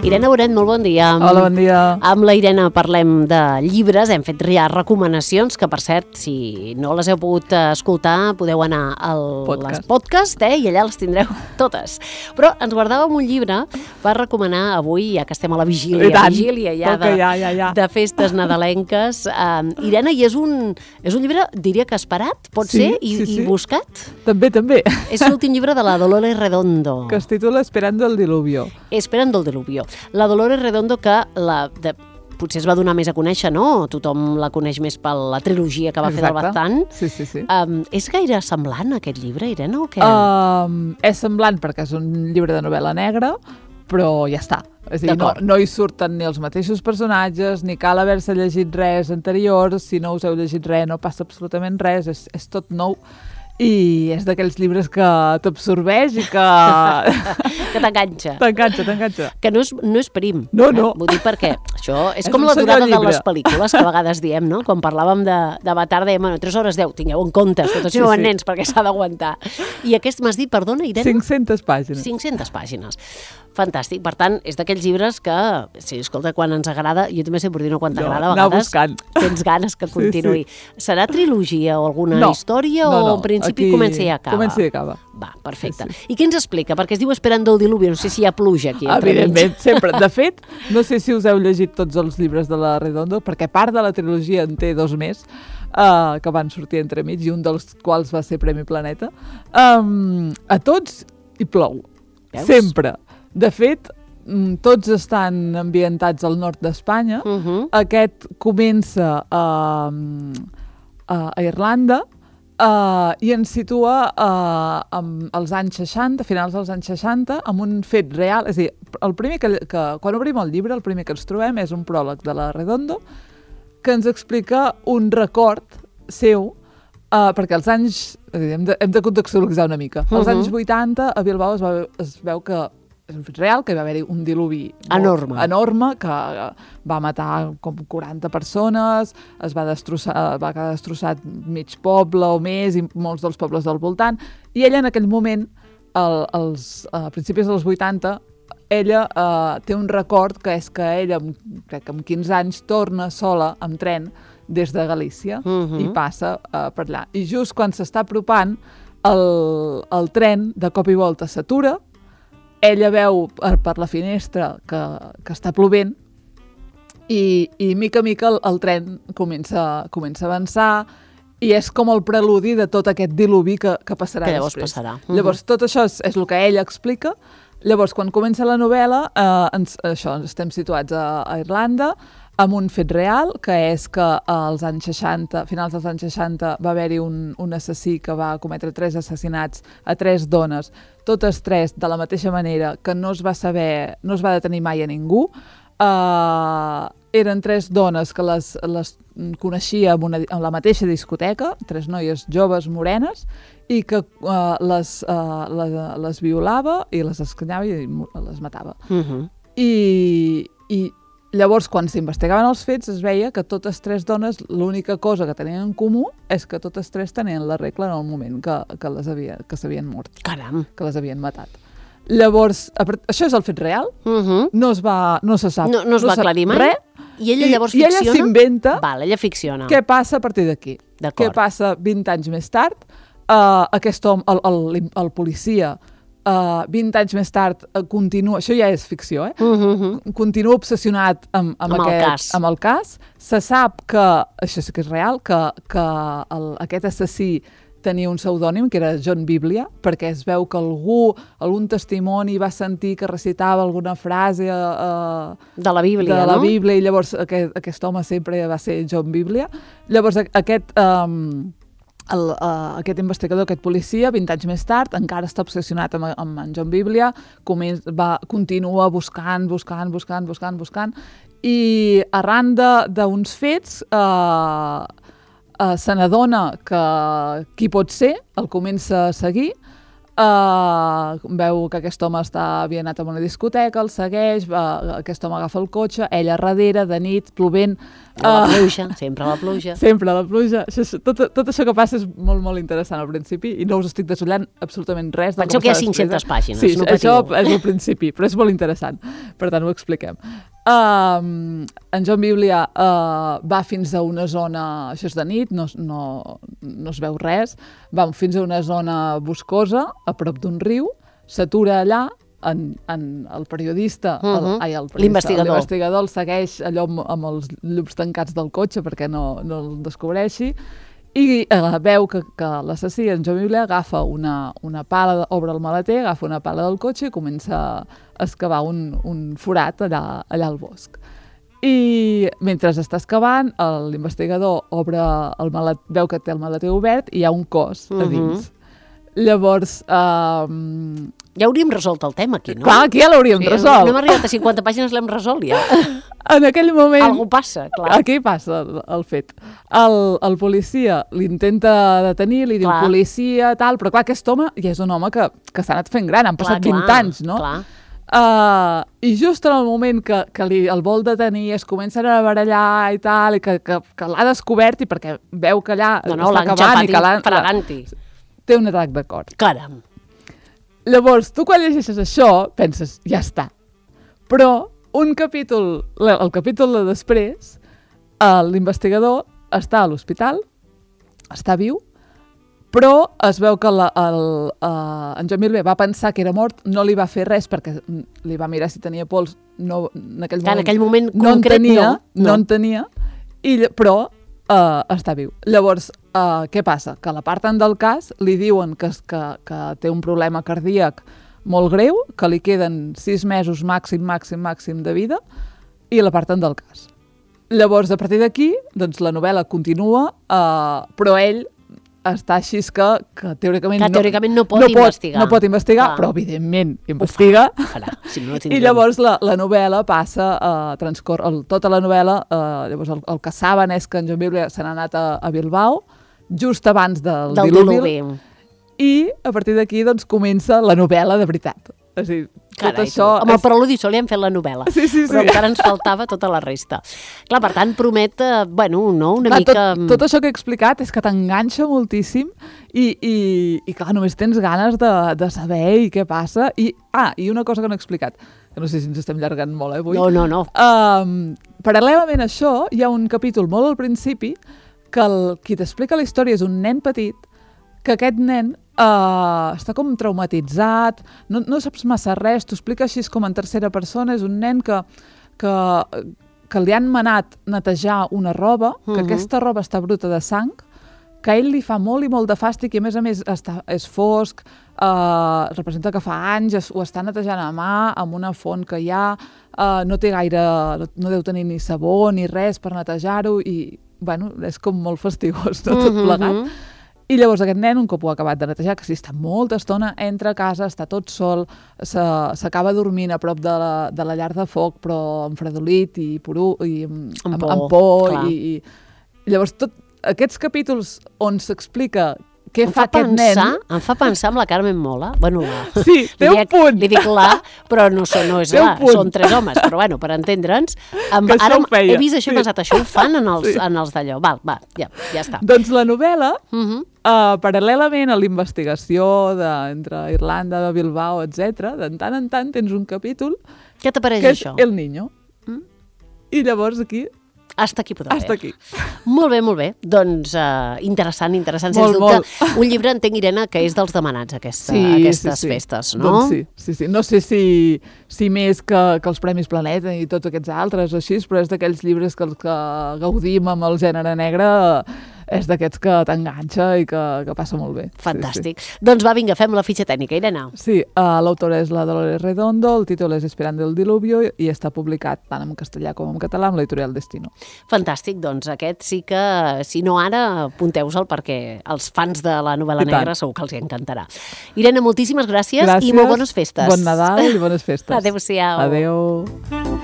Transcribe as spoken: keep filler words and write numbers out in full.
Irene Bonet, molt bon dia. Hola, bon dia. Amb la Irene parlem de llibres, hem fet ja recomanacions, que per cert, si no les heu pogut escoltar, podeu anar al Podcast. podcast, eh, i allà les tindreu totes. Però ens guardàvem un llibre per recomanar avui, ja que estem a la vigília, I tant, vigília ja de, ja, ja, ja. de festes nadalenques. Uh, Irene, i és un, és un llibre, diria que esperat, pot Sí, ser, i, sí, sí. i buscat? També, també. És l'últim llibre de la Dolores Redondo. Que es titula Esperando el diluvio. Esperando el diluvio. La Dolores Redondo, que la, de, potser es va donar més a conèixer, no? Tothom la coneix més per la trilogia que va Exacte. fer del Baztán. Sí, sí, sí. Um, és gaire semblant aquest llibre, Irene, o què? Um, és semblant perquè és un llibre de novel·la negra, però ja està. És a dir, no, no hi surten ni els mateixos personatges, ni cal haver-se llegit res anterior. Si no us heu llegit res, no passa absolutament res, és, és tot nou. I és d'aquells llibres que t'absorbeix i que... que t'enganxa. T'enganxa, t'enganxa. Que no és, no és prim. No, no. Eh? Vull dir perquè això és, És com un la senyor durada de llibre. les pel·lícules, que a vegades diem, no? Quan parlàvem de, de Avatar, dèiem, bueno, tres hores deu, tingueu en compte, sobretot si Sí, no van sí. nens, perquè s'ha d'aguantar. I aquest m'has dit, perdona, Irene? cinc-centes pàgines. cinc-centes pàgines. Fantàstic. Per tant, és d'aquells llibres que, sí, escolta, quan ens agrada, jo també sempre dic, quan No, t'agrada, a anar vegades buscant. tens ganes que continuï. Sí, Serà trilogia o alguna No, història no, o no, en principi aquí comença i acaba? Comença i acaba. Va, perfecte. Sí, I què ens explica? Perquè es diu Esperando el diluvio, no sé si hi ha pluja aquí. entre Evidentment, mig. sempre. De fet, no sé si us heu llegit tots els llibres de la Redondo, perquè part de la trilogia en té dos més, uh, que van sortir entre mig, i un dels quals va ser Premi Planeta. Um, a tots hi plou. Veus? Sempre. De fet, mm, tots estan ambientats al nord d'Espanya. Uh -huh. Aquest comença a, a, a Irlanda, Uh, i ens situa uh, amb els anys seixanta, finals dels anys seixanta, amb un fet real. És a dir, el primer que, que, quan obrim el llibre, el primer que ens trobem és un pròleg de la Redondo que ens explica un record seu, uh, perquè als anys... És a dir, hem, de, hem de contextualitzar una mica. Als Uh-huh. anys vuitanta, a Bilbao es, va, es veu que és un fet real, que hi va haver-hi un diluvi Enorme. enorme, que va matar com quaranta persones, es va destrossar, va quedar destrossat mig poble o més, i molts dels pobles del voltant, i ella en aquell moment, el, els, a principis dels vuitanta, ella eh, té un record, que és que ella, amb, crec que amb quinze anys, torna sola amb tren des de Galícia, Mhm. i passa eh, per allà. I just quan s'està apropant, el, el tren de cop i volta s'atura, ella veu per, per la finestra que, que està plovent, i, i mica a mica el, el tren comença, comença a avançar, i és com el preludi de tot aquest diluvi que, que passarà Que llavors després. passarà. Uh-huh. Llavors, tot això és, és el que ella explica. Llavors, quan comença la novel·la, eh, ens, això, ens estem situats a, a Irlanda, amb un fet real, que és que als anys seixanta, finals dels anys seixanta, va haver-hi un, un assassí que va cometre tres assassinats a tres dones, totes tres de la mateixa manera, que no es va saber, no es va detenir mai a ningú. Uh, eren tres dones que les, les coneixia en, una, en la mateixa discoteca, tres noies joves morenes, i que uh, les, uh, les, les violava i les escanyava i les matava. Uh-huh. I, i llavors, quan s'investigaven els fets, es veia que totes tres dones, l'única cosa que tenien en comú és que totes tres tenien la regla en el moment que, que les havia, que s'havien mort, Caram. que les havien matat. Llavors, a part- això és el fet real, Uh-huh. no es va, no se sap, No, no es va sap aclarir mai? res, I ella i, llavors i ella ficciona? s'inventa Val, ella ficciona. què passa a partir d'aquí. D'acord. Què passa vint anys més tard? Uh, aquest home, el, el, el policia, uh, vint anys més tard, uh, continua... Això ja és ficció, eh? Uh-huh. Continua obsessionat amb, amb, Amb el aquest, cas. amb el cas. Se sap que, això sí que és real, que, que el, aquest assassí tenia un pseudònim, que era John Biblia, perquè es veu que algú, algun testimoni va sentir que recitava alguna frase uh, De la Bíblia, de la no? Bíblia, i llavors aquest, aquest home sempre va ser John Biblia. Llavors aquest... Um, El, uh, aquest investigador, aquest policia, vint anys més tard, encara està obsessionat amb, amb en John Biblia, començ, va, continua buscant, buscant, buscant, buscant, buscant, i arran d'uns fets uh, uh, se n'adona que qui pot ser, el comença a seguir, Uh, veu que aquest home està, havia anat a una discoteca, el segueix, uh, aquest home agafa el cotxe, ella darrere, de nit, plovent. Uh, la pluja, sempre la pluja. Sempre la pluja. Això, tot, tot això que passa és molt, molt interessant al principi i no us estic desollant absolutament res. Penseu que hi ha cinc-centes pàgines, sí, no això patiu. és al principi, però és molt interessant. Per tant, ho expliquem. Uh, en John Biblia uh, va fins a una zona, això és de nit, no, no, no es veu res, va fins a una zona boscosa, a prop d'un riu, s'atura allà, en, en el periodista, uh -huh. el, ai, el l'investigador. l'investigador el segueix allò amb, amb els llums tancats del cotxe perquè no, no el descobreixi, i eh, veu que, que l'assassí, en John Biblia, agafa una, una pala, obre el maleter, agafa una pala del cotxe i comença a excavar un, un forat allà, allà al bosc. I mentre està excavant, l'investigador obre el malet, veu que té el maleter obert i hi ha un cos a dins. Uh -huh. Llavors... Eh, ja hauríem resolt el tema aquí, no? Clar, aquí ja l'hauríem sí, resolt. No hem arribat a cinquanta pàgines, l'hem resolt ja. En aquell moment... Algú passa, clar. Aquí passa el, el fet. El, el policia l'intenta detenir, li diu clar. policia, tal, però clar, aquest home ja és un home que, que s'ha anat fent gran, han passat clar, vint clar, anys, no? Clar. Uh, I just en el moment que, que li, el vol detenir, es comencen a barallar i tal, i que, que, que l'ha descobert i perquè veu que allà no, no, està acabant i que l'ha... fraganti. Té un atac de cor. Caram. Llavors, tu quan llegeixes això, penses, ja està. Però un capítol, el capítol de després, l'investigador està a l'hospital, està viu, però es veu que la, el, uh, en John Biblia va pensar que era mort, no li va fer res perquè li va mirar si tenia pols, no, en aquell moment, en aquell moment no concret, en tenia, no, no. no en tenia, i, però uh, està viu. Llavors, uh, què passa? Que a la part del cas li diuen que, que, que té un problema cardíac molt greu, que li queden sis mesos màxim, màxim, màxim de vida, i la part del cas. Llavors, a partir d'aquí, doncs, la novel·la continua, uh, però ell està així que, que teòricament, que teòricament no, no pot no investigar. Pot, no pot investigar, clar. Però evidentment investiga. Ho farà, si no, no I llavors la, la novel·la passa a uh, transcorre, el, tota la novel·la, uh, llavors el, el que saben és que en John Biblia se n'ha anat a, a Bilbao, just abans del, del diluvi, diluvi. I a partir d'aquí doncs, comença la novel·la de veritat. És a dir, tot Carai, això... Amb és... el preludi sol li hem fet la novel·la, sí, sí, sí. però encara ens faltava tota la resta. Clar, per tant, promet, eh, bueno, no, una clar, mica... Tot, tot això que he explicat és que t'enganxa moltíssim i, i, i clar, només tens ganes de, de saber i què passa. I, ah, i una cosa que no he explicat, que no sé si ens estem llargant molt, eh, avui. No, no, no. Um, paral·lelament a això, hi ha un capítol molt al principi que el, qui t'explica la història és un nen petit, que aquest nen uh, està com traumatitzat, no, no saps massa res, t'ho explica així com en tercera persona, és un nen que, que, que li han manat netejar una roba, que uh-huh. aquesta roba està bruta de sang, que a ell li fa molt i molt de fàstic i a més a més està, és fosc, uh, representa que fa anys, ho està netejant a mà amb una font que hi ha, uh, no té gaire, no, no deu tenir ni sabó ni res per netejar-ho i bueno, és com molt fastigós, no? Tot plegat. Uh-huh. I llavors aquest nen, un cop ho ha acabat de netejar, que sí, està molta estona, entra a casa, està tot sol, s'acaba dormint a prop de la, de la llar de foc, però amb fredolit i, poru, i amb, amb, por, amb por i, i llavors tot aquests capítols on s'explica què em fa, fa aquest pensar, nen... Em fa pensar amb la Carmen Mola. Bueno, la, sí, té un punt. Li dic la, però no, so, no és la, són tres homes, però bueno, per entendre'ns. Amb, ara he vist això i sí. pensat, això ho fan en els, sí. en els d'allò. Val, va, ja, ja està. Doncs la novel·la, uh-huh. uh, paral·lelament a l'investigació de, entre Irlanda, de Bilbao, etcètera, de tant en tant tens un capítol què t'apareix que això? és El Niño. Mm? I llavors aquí... Hasta aquí podrà Hasta aquí. Molt bé, molt bé. Doncs uh, interessant, interessant, molt, sens dubte. Molt. Un llibre, entenc, Irene, que és dels demanats, aquesta, sí, aquestes sí, sí. festes, no? Doncs sí, sí, sí. No sé si, si més que, que els Premis Planeta i tots aquests altres o així, però és d'aquells llibres que, que gaudim amb el gènere negre, és d'aquests que t'enganxa i que, que passa molt bé. Fantàstic. Sí, sí. Doncs va, vinga, fem la fitxa tècnica, Irene. Sí, uh, l'autora és la Dolores Redondo, el títol és Esperando el diluvio i està publicat tant en castellà com en català amb l'editorial Destino. Fantàstic, doncs aquest sí que, si no ara, apunteu-se'l perquè els fans de la novel·la negra segur que els hi encantarà. Irene, moltíssimes gràcies, gràcies i molt bones festes. Bon Nadal i bones festes. Adéu-siau. Adéu.